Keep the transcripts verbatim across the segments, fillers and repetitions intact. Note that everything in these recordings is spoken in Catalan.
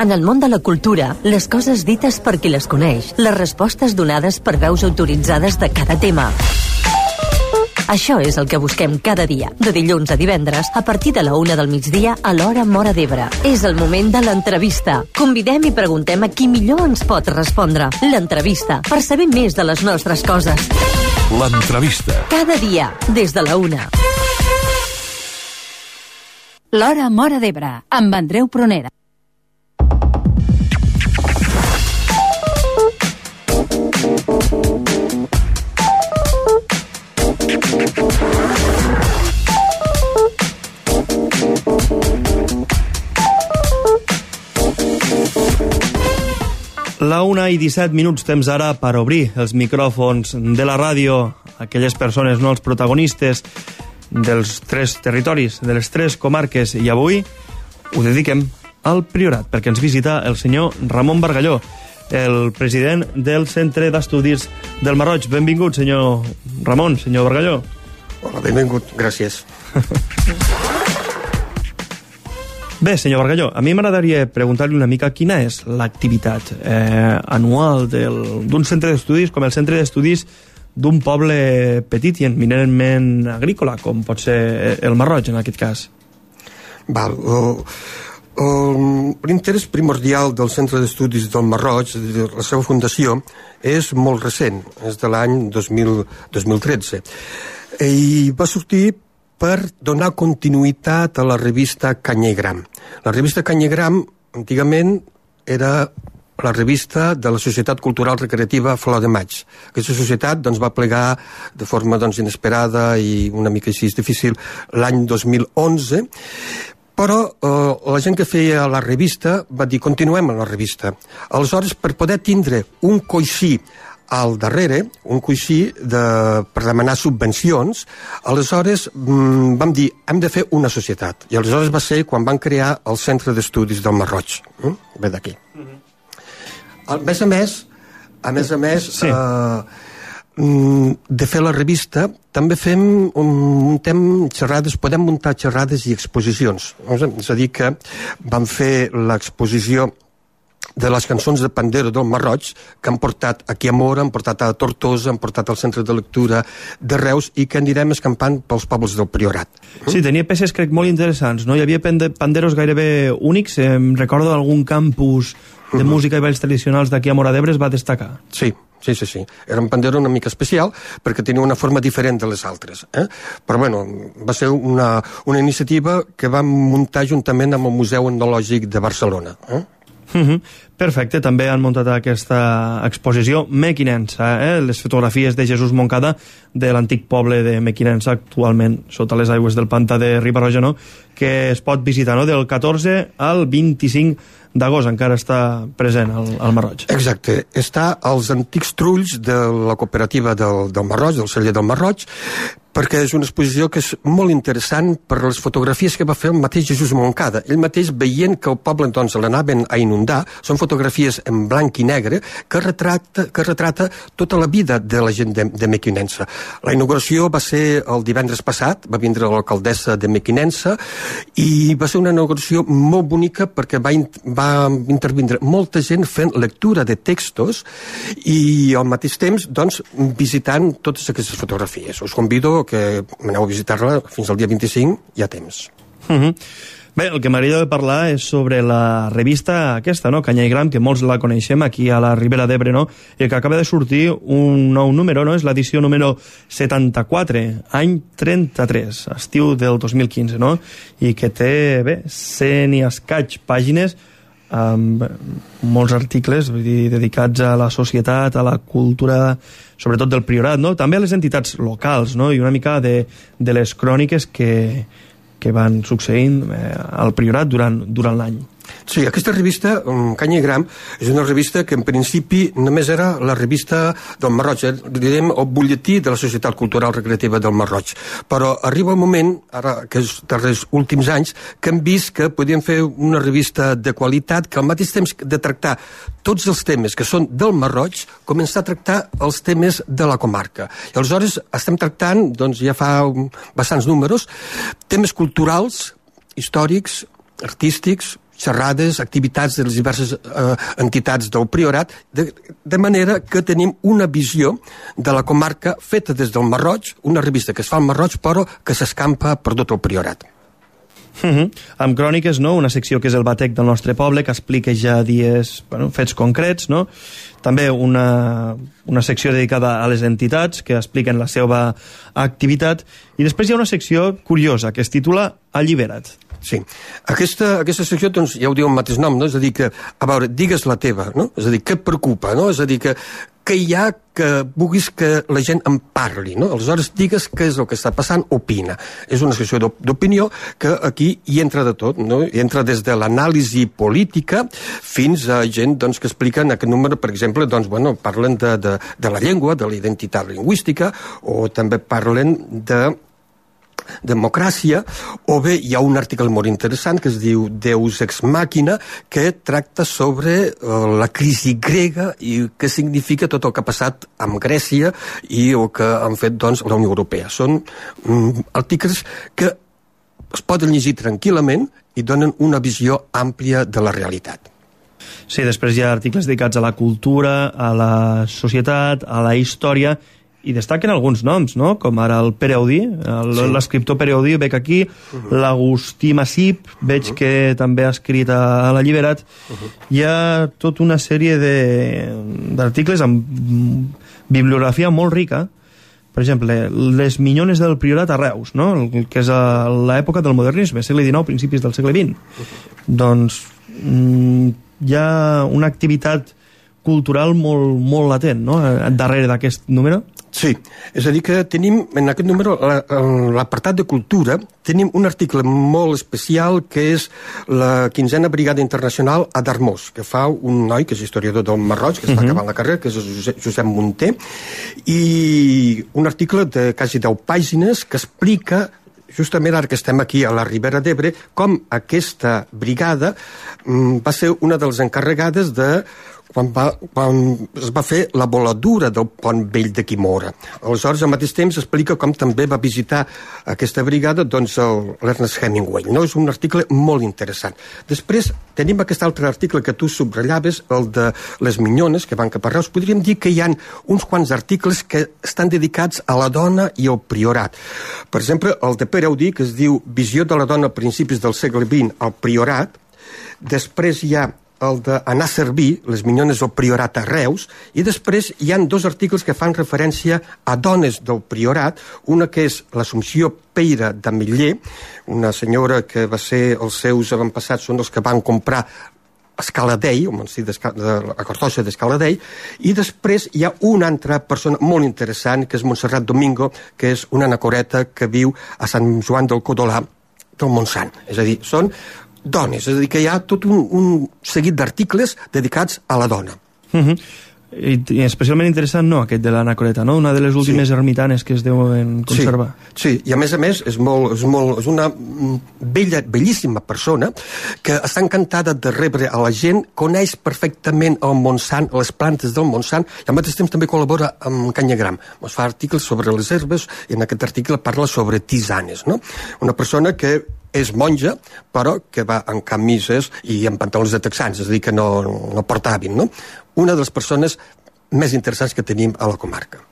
En el món de la cultura, les coses dites per qui les coneix, les respostes donades per veus autoritzades de cada tema. Això és el que busquem cada dia, de dilluns a divendres, a partir de la una del migdia a l'hora Móra d'Ebre. És el moment de l'entrevista. Convidem i preguntem a qui millor ens pot respondre. L'entrevista, per saber més de les nostres coses. L'entrevista. Cada dia, des de la una. L'hora Móra d'Ebre, amb Andreu Prunera. La una i disset minuts, temps ara per obrir els micròfons de la ràdio a aquelles persones, no els protagonistes dels tres territoris, de les tres comarques, i avui ho dediquem al Priorat, perquè ens visita el senyor Ramon Bargalló, el president del Centre d'Estudis del Marroig. Benvingut, senyor Ramon, senyor Bargalló. Hola, benvingut, gràcies. Bé, senyor Bargalló, a mi m'agradaria preguntar-li una mica quina és l'activitat eh, anual d'un centre d'estudis com el Centre d'Estudis d'un poble petit i eminentment agrícola, com pot ser el Marroig, en aquest cas. Val. L'interès primordial del Centre d'Estudis del Marroig, de la seva fundació, és molt recent, és de l'any dos mil tretze. I va sortir per donar continuïtat a la revista Canyegram. La revista Canyegram, antigament, era la revista de la Societat Cultural Recreativa Flor de Maig. Aquesta societat doncs, va plegar de forma doncs, inesperada i una mica així difícil l'any dos mil onze, però eh, la gent que feia la revista va dir continuem amb la revista. Aleshores, per poder tindre un coixí al darrere, un coixí de, per demanar subvencions, aleshores mm, vam dir, hem de fer una societat. I aleshores va ser quan van crear el Centre d'Estudis del Marroig. Mm? Ve d'aquí. Mm-hmm. A més a més, a més a més, sí. eh, de fer la revista, també fem un, muntem xerrades, podem muntar xerrades i exposicions. És a dir que vam fer l'exposició de les cançons de Pandero del Marroig, que han portat aquí a Móra, han portat a Tortosa, han portat al Centre de Lectura de Reus i que anirem escampant pels pobles del Priorat. Sí, tenia peces, crec, molt interessants, no? Hi havia panderos gairebé únics, em recordo d'algun campus de música i balls tradicionals d'aquí a Móra d'Ebre es va destacar. Sí, sí, sí, sí. Era un pandero una mica especial perquè tenia una forma diferent de les altres. Eh? Però, bueno, va ser una, una iniciativa que vam muntar juntament amb el Museu Etnològic de Barcelona. Eh? Uh-huh. Perfecte, també han muntat aquesta exposició Mequinensa, eh? Les fotografies de Jesús Moncada de l'antic poble de Mequinensa, actualment sota les aigües del pantà de Riba-roja, no? Que es pot visitar, no? Del catorze al vint-i-cinc d'agost, encara està present al, al Marroig. Exacte, està als antics trulls de la cooperativa del, del Marroig, del celler del Marroig, perquè és una exposició que és molt interessant per les fotografies que va fer el mateix Jesús Moncada. Ell mateix, veient que el poble doncs, l'anaven a inundar, són fotografies en blanc i negre que retrata, que retrata tota la vida de la gent de, de Mequinensa. La inauguració va ser el divendres passat, va vindre l'alcaldessa de Mequinensa i va ser una inauguració molt bonica perquè va, in, va intervindre molta gent fent lectura de textos i al mateix temps doncs, visitant totes aquestes fotografies. Us convido que aneu a visitar-la fins al dia vint-i-cinc, hi ha temps. Uh-huh. Bé, el que m'agrada de parlar és sobre la revista aquesta, no? Canyegram, que molts la coneixem aquí a la Ribera d'Ebre, no? I que acaba de sortir un nou número, no? És l'edició número setanta-quatre, any trenta-tres, estiu del dos mil quinze, no? I que té, bé, cent i escaig pàgines amb molts articles, vull dir, dedicats a la societat, a la cultura, sobretot del Priorat, no? També a les entitats locals, no? I una mica de, de les cròniques que, que van succeint eh, al Priorat durant, durant l'any. Sí, aquesta revista, Canyegram, és una revista que en principi només era la revista del Marroig, eh? Direm el butlletí de la Societat Cultural Recreativa del Marroig. Però arriba un moment, ara que és dels últims anys, que hem vist que podíem fer una revista de qualitat que al mateix temps de tractar tots els temes que són del Marroig, començar a tractar els temes de la comarca. I aleshores estem tractant, doncs ja fa bastants números, temes culturals, històrics, artístics, xerrades, activitats de les diverses eh, entitats del Priorat, de, de manera que tenim una visió de la comarca feta des del Marroig, una revista que es fa al Marroig però que s'escampa per tot el Priorat. Uh -huh. Amb cròniques, no? Una secció que és el Batec del nostre poble, que explica ja dies, bueno, fets concrets, no? També una, una secció dedicada a les entitats que expliquen la seva activitat, i després hi ha una secció curiosa que es titula Allibera't. Sí. Aquesta, aquesta secció, doncs, ja ho diu el mateix nom, no? És a dir, que, a veure, digues la teva, no? És a dir, què et preocupa, no? És a dir, que, que hi ha que vulguis que la gent en parli, no? Aleshores, digues què és el que està passant, opina. És una secció d'opinió que aquí hi entra de tot, no? Hi entra des de l'anàlisi política fins a gent, doncs, que expliquen aquest número, per exemple, doncs, bueno, parlen de, de, de la llengua, de la identitat lingüística, o també parlen de democràcia, o bé hi ha un article molt interessant que es diu Deus ex machina, que tracta sobre uh, la crisi grega i què significa tot el que ha passat amb Grècia i el que han fet, doncs, la Unió Europea. Són um, articles que es poden llegir tranquil·lament i donen una visió àmplia de la realitat. Sí, després hi ha articles dedicats a la cultura, a la societat, a la història, i destaquen alguns noms, no? Com ara el Pere Audí, l'escriptor Pere Audí, veig aquí, uh -huh. l'Agustí Massip, veig uh -huh. que també ha escrit a, a l'Alliberat. Uh -huh. Hi ha tota una sèrie d'articles amb bibliografia molt rica, per exemple, les minyones del Priorat a Reus, no? El que és l'època del modernisme, segle dinou, principis del segle vint. Uh -huh. Doncs mm, hi ha una activitat cultural molt, molt latent, no?, darrere d'aquest número. Sí, és a dir que tenim en aquest número, en l'apartat de cultura, tenim un article molt especial que és la quinzena Brigada Internacional a Darmós, que fa un noi que és historiador del Marroig, que està uh-huh. acabant la carrera, que és Josep, Josep Munter, i un article de quasi deu pàgines que explica justament ara que estem aquí a la Ribera d'Ebre, com aquesta brigada mm, va ser una de les encarregades de quan, va, quan es va fer la voladura del pont vell de Quimora. Aleshores, al mateix temps, explica com també va visitar aquesta brigada, doncs, l'Ernest Hemingway. No? És un article molt interessant. Després, tenim aquest altre article que tu subratllaves, el de les minyones, que van cap a Reus. Podríem dir que hi ha uns quants articles que estan dedicats a la dona i al priorat. Per exemple, el de Pere Audí, que es diu Visió de la dona a principis del segle vint al priorat. Després hi ha el d'anar a servir, les minyones del priorat a Reus, i després hi han dos articles que fan referència a dones del priorat, una que és l'Assumpció Peira d'Ametller, una senyora que va ser, els seus avantpassats són els que van comprar Escaladei, el monestir de la Cartoixa d'Escaladei, i després hi ha una altra persona molt interessant, que és Montserrat Domingo, que és una anacoreta que viu a Sant Joan del Codolà del Montsant. És a dir, són dones, és a dir, que hi ha tot un, un seguit d'articles dedicats a la dona. Uh-huh. I, I especialment interessant, no, aquest de l'anacoreta, no? Una de les últimes sí. ermitanes que es deuen conservar. Sí, sí, i a més a més és, molt, és, molt, és una bella, bellíssima persona que està encantada de rebre a la gent, coneix perfectament el Montsant, les plantes del Montsant, i al mateix temps també col·labora amb Canyagram. Ens fa articles sobre les herbes, i en aquest article parla sobre tisanes, no? Una persona que és monja, però que va en camises i en pantalons de texans, és a dir, que no, no porta hàbit, no? Una de les persones més interessants que tenim a la comarca.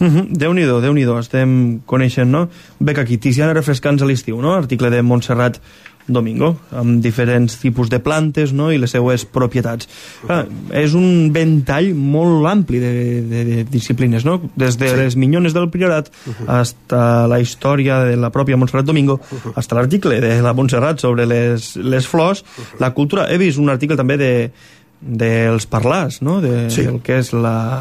Uh-huh. Déu-n'hi-do, Déu-n'hi-do, estem coneixent, no? Bec aquí, Tiziana refrescants a l'estiu, no? Article de Montserrat Domingo, amb diferents tipus de plantes, no?, i les seues propietats. Ah, és un ventall molt ampli de, de, de disciplines, no?, des de sí. les minyones del priorat uh-huh. hasta la història de la pròpia Montserrat Domingo, uh-huh. hasta l'article de la Montserrat sobre les, les flors, uh-huh. la cultura. He vist un article també de dels parlars, no?, de, sí. del que és la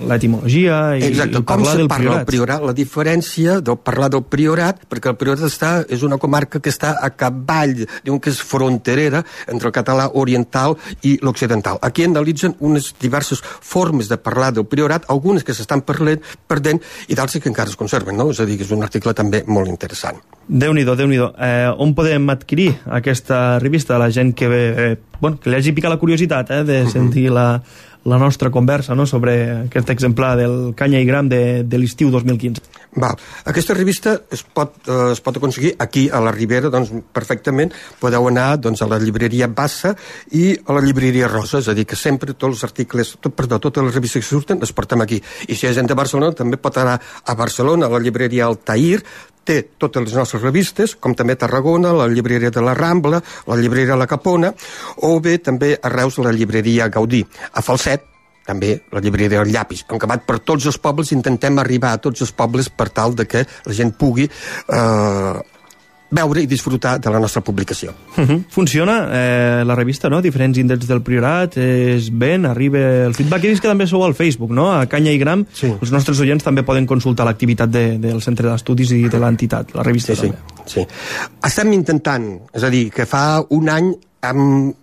l'etimologia i, Exacte, i parlar del priorat. Com se parla el priorat, la diferència del parlar del priorat, perquè el priorat està, és una comarca que està a cavall, diuen que és fronterera entre el català oriental i l'occidental. Aquí analitzen unes diverses formes de parlar del priorat, algunes que s'estan perdent i d'altres que encara es conserven, no? És a dir, que és un article també molt interessant. Déu-n'hi-do, Déu-n'hi-do. Eh, on podem adquirir aquesta revista? La gent que, eh, bueno, que li hagi picat la curiositat eh, de sentir la, la nostra conversa, no?, sobre aquest exemplar del Canya i Gram de, de l'estiu dos mil quinze. Val. Aquesta revista es pot, eh, es pot aconseguir aquí a la Ribera, doncs perfectament podeu anar doncs, a la llibreria Bassa i a la llibreria Rosa, és a dir, que sempre tots els articles, tot, perdó, totes les revistes que surten les portem aquí. I si hi ha gent de Barcelona també pot anar a Barcelona, a la llibreria Altair, té totes les nostres revistes, com també a Tarragona, la llibreria de la Rambla, la llibreria La Capona, o bé també a Reus la llibreria Gaudí. A Falset, també la llibreria del Llapis. En acabat per tots els pobles, intentem arribar a tots els pobles per tal de que la gent pugui eh, veure i disfrutar de la nostra publicació. Uh -huh. Funciona eh, la revista, no? Diferents índexs del Priorat, és ben, arriba el feedback. He vist que també sou al Facebook, no? A Canya i Gram, sí. Els nostres oients també poden consultar l'activitat de, del Centre d'Estudis i de l'entitat, la revista sí, també. Sí, sí. Estem intentant, és a dir, que fa un any amb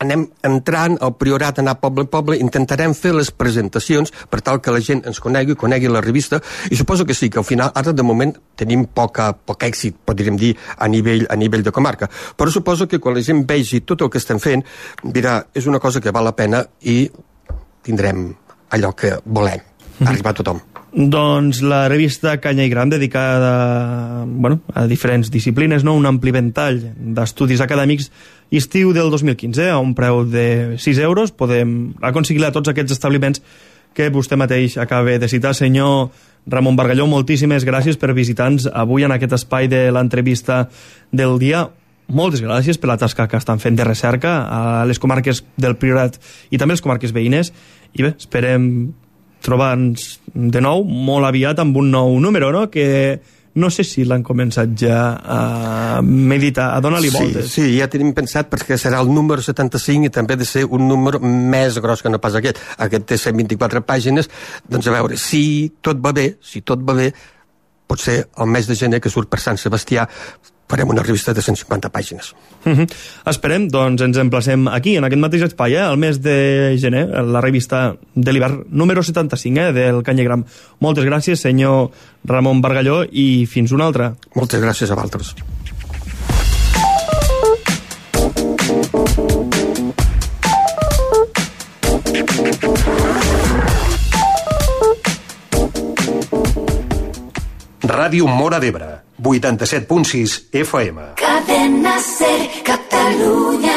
anem entrant al Priorat, anar poble a poble, intentarem fer les presentacions per tal que la gent ens conegui, conegui la revista, i suposo que sí, que al final, ara de moment, tenim poca, poc èxit, podríem dir, a nivell, a nivell de comarca, però suposo que quan la gent vegi tot el que estem fent, dirà, és una cosa que val la pena i tindrem allò que volem, arribar a tothom. Doncs la revista Canya i Gram, dedicada bueno, a diferents disciplines, no? Un ampli ventall d'estudis acadèmics, estiu del dos mil quinze, a un preu de sis euros, podem aconseguir a tots aquests establiments que vostè mateix acaba de citar. Senyor Ramon Bargalló, moltíssimes gràcies per visitar-nos avui en aquest espai de l'entrevista del dia. Moltes gràcies per la tasca que estan fent de recerca a les comarques del Priorat i també les comarques veïnes, i bé, esperem trobar-nos de nou molt aviat amb un nou número, no?, que no sé si l'han començat ja a meditar, a donar-li voltes. Sí, sí, ja tenim pensat perquè serà el número setanta-cinc i també ha de ser un número més gros que no pas aquest. Aquest té cent vint-i-quatre pàgines, doncs a veure, si tot va bé, si tot va bé, potser el mes de gener que surt per Sant Sebastià farem una revista de cent cinquanta pàgines. Uh -huh. Esperem, doncs ens emplacem aquí, en aquest mateix espai, eh, el mes de gener, la revista de l'hivern número setanta-cinc, eh, del Canya i Gram. Moltes gràcies, senyor Ramon Bargalló, i fins una altra. Moltes gràcies a vosaltres. Ràdio Móra d'Ebre, vuitanta-set punt sis F M. Cadena Ser, Catalunya.